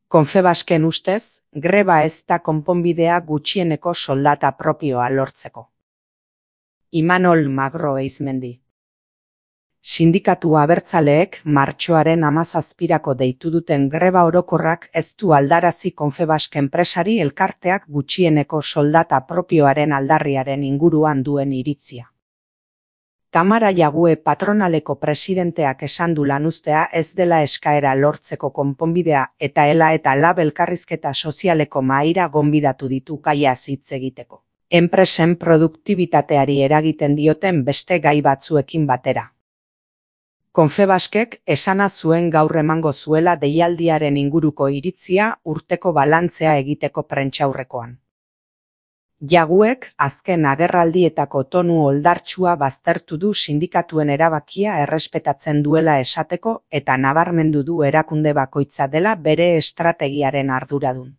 Confebasken ustez, greba ez da konponbidea gutxieneko soldata propioa lortzeko. Imanol Magro Eizmendi. Sindikatu abertzaleek martxoaren 17 deitu duten greba orokorrak ez du aldarazi Confebasken enpresari elkarteak gutxieneko soldata propioaren aldarriaren inguruan duen iritzia. Tamara Jague patronaleko presidenteak esan du lanuztea ez dela eskaera lortzeko konponbidea eta ELA eta LAB elkarrizketa sozialeko mahaira gonbidatu ditu gaiaz hitz egiteko. Enpresen produktibitateari eragiten dioten beste gai batzuekin batera. Confebaskek esana zuen gaur emango zuela deialdiaren inguruko iritzia urteko balantzea egiteko prentsaurrekoan. Jaguek azken agerraldietako tonu oldartsua baztertu du sindikatuen erabakia errespetatzen duela esateko eta nabarmendu du erakunde bakoitza dela bere estrategiaren arduradun.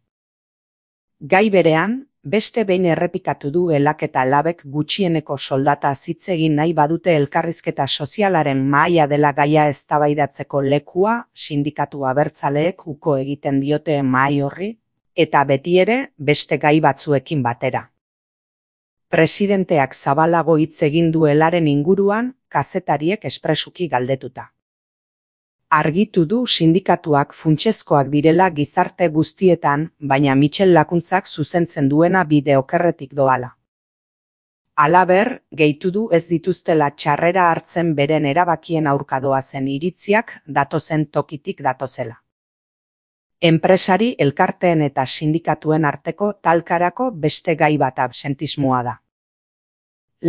Gai berean, beste behin errepikatu du ELAk eta LABek gutxieneko soldata hitz egin nahi badute elkarrizketa sozialaren mahaia dela gaia eztabaidatzeko lekua sindikatu abertzaleek uko egiten diote mahai horri, eta betiere beste gai batzuekin batera. Presidenteak zabalago hitz egin du ELAren inguruan, kazetariek espresuki galdetuta. Argitu du sindikatuak funtsezkoak direla gizarte guztietan, baina Michel Lakuntzak zuzentzen duena bide okerretik doala. Halaber, gehitu du ez dituztela txarrera hartzen beren erabakien aurka doazen iritziak datozen tokitik datozela. Enpresari elkarteen eta sindikatuen arteko talkarako beste gai bat absentismoa da.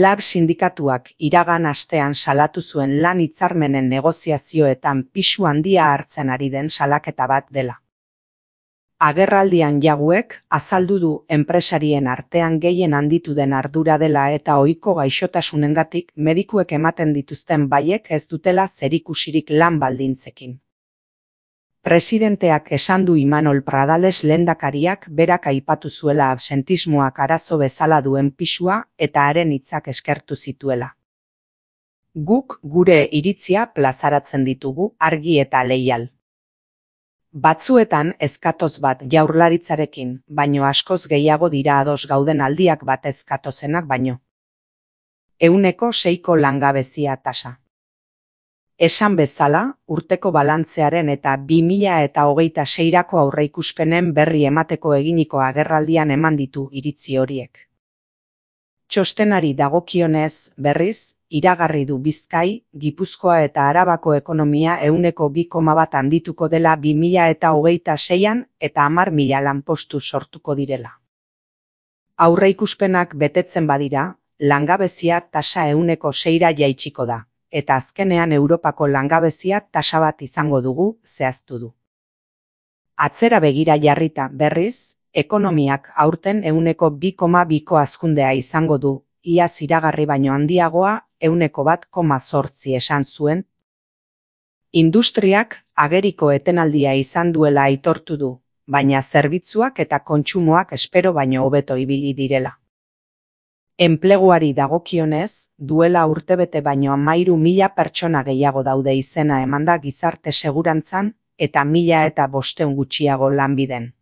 LAB sindikatuak iragan astean salatu zuen lan hitzarmenen negoziazioetan pisu handia hartzen ari den salaketa bat dela. Agerraldian Jaguek azaldu du enpresarien artean gehien handitu den ardura dela eta ohiko gaixotasunengatik medikuek ematen dituzten baiek ez dutela zerikusirik lan baldintzekin. Presidenteak esan du Imanol Pradales lehendakariak berak aipatu zuela absentismoak arazo bezala duen pisua eta haren hitzak eskertu zituela. Guk gure iritzia plazaratzen ditugu argi eta leial. Batzuetan ezkatoz bat jaurlaritzarekin, baino askoz gehiago dira ados gauden aldiak bat ezkatozenak baino. 6% langabezia tasa. Esan bezala, urteko balantzearen eta 2026rako aurreikuspenen berri emateko eginiko agerraldian eman ditu iritzi horiek. Txostenari dagokionez, berriz, iragarri du Bizkai, Gipuzkoa eta Arabako ekonomia 2,1% handituko dela 2026an eta 10.000 lanpostu sortuko direla. Aurreikuspenak betetzen badira, langabezia tasa 6%ra jaitsiko da. Eta azkenean Europako langabezia tasa bat izango dugu, zehaztu du. Atzera begira jarrita berriz, ekonomiak aurten 2,2ko hazkundea izango du, iaz iragarri baino handiagoa 1,8% esan zuen. Industriak ageriko etenaldia izan duela aitortu du, baina zerbitzuak eta kontsumoak espero baino hobeto ibili direla. Enpleguari dagokionez, duela urtebete baino 13.000 pertsona gehiago daude izena emanda gizarte segurantzan eta 1.500 gutxiago lanbiden.